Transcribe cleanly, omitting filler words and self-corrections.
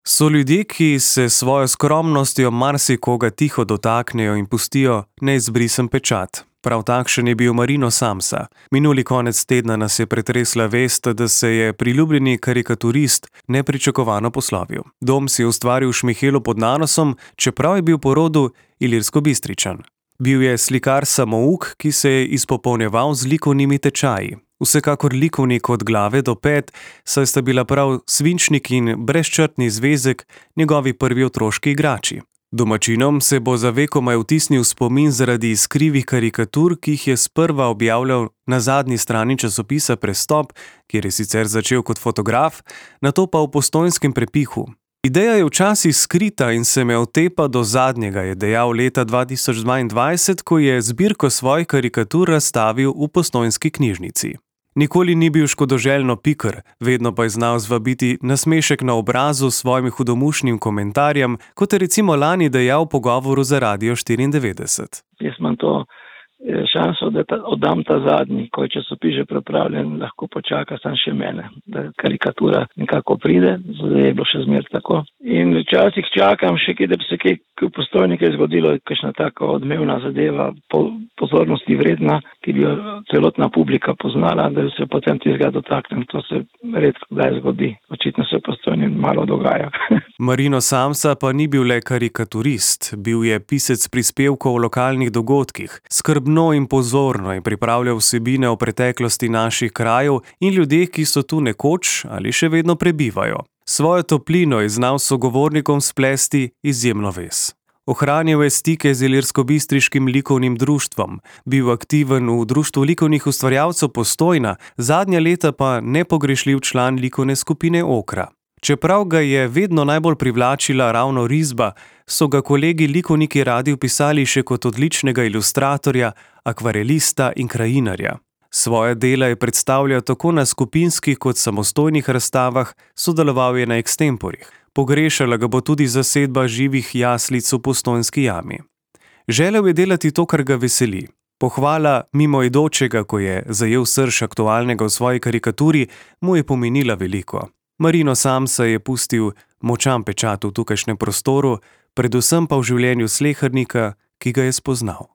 So ljudje, ki se s svojo skromnostjo marsikoga tiho dotaknejo in pustijo neizbrisen pečat. Prav takšen je bil Marino Samsa. Minuli konec tedna nas je pretresla vest, da se je priljubljeni karikaturist nepričakovano poslovil. Dom si je ustvaril v Šmihelu pod Nanosom, čeprav je bil po rodu Ilirskobistričan. Bil je slikar samouk, ki se je izpopolnjeval z likovnimi tečaji. Vsekakor likovnik od glave do pet, saj sta bila prav svinčnik in brezčrtni zvezek njegovi prvi otroški igrači. Domačinom se bo za vekomaj vtisnil spomin zaradi iskrivih karikatur, ki jih je sprva objavljal na zadnji strani časopisa Prestop, kjer je sicer začel kot fotograf, nato pa v Postojnskem prepihu. Ideja je včasih skrita in se me otepa do zadnjega, je dejal leta 2022, ko je zbirko svojih karikatur razstavil v Postojnski knjižnici. Nikoli ni bil škodoželjno piker, vedno pa je znal zvabiti nasmešek na obrazu s svojim hudomušnim komentarjem, kot je recimo lani dejal v pogovoru za Radio 94. Jaz imam to šanso, da oddam ta zadnji, ko je časopis že pripravljen, lahko počaka sam še mene, da karikatura nekako pride, zdaj je bilo še zmer tako. In včasih čakam še, da bi se kaj v Postojni zgodilo, kakšna taka odmevna zadeva, pozornosti vredna, ki bi jo celotna publika poznala, da se potem tistega dotaknem. To se redko kdaj zgodi. Očitno se v Postojni malo dogaja. Marino Samsa pa ni bil le karikaturist, bil je pisec prispevkov o lokalnih dogodkih. Skrbno in pozorno je pripravljal vsebine o preteklosti naših krajev in ljudeh, ki so tu nekoč ali še vedno prebivajo. Svojo toplino je znal sogovornikom splesti izjemno vez. Ohranjal je stike z Ilirskobistriškim likovnim društvom, bil aktiven v društvu likovnih ustvarjalcev Postojna, zadnja leta pa nepogrešljiv član likovne skupine Okra. Čeprav ga je vedno najbolj privlačila ravno risba, so ga kolegi likovniki radi opisali še kot odličnega ilustratorja, akvarelista in krajinarja. Svoje dela je predstavljal tako na skupinskih kot samostojnih razstavah, sodeloval je na ekstemporih. Pogrešala ga bo tudi zasedba živih jaslic v Postojnski jami. Želel je delati to, kar ga veseli. Pohvala mimoidočega, ko je zajel srž aktualnega v svoji karikaturi, mu je pomenila veliko. Marino Samsa je pustil močan pečat v tukajšnjem prostoru, predvsem pa v življenju slehernika, ki ga je spoznal.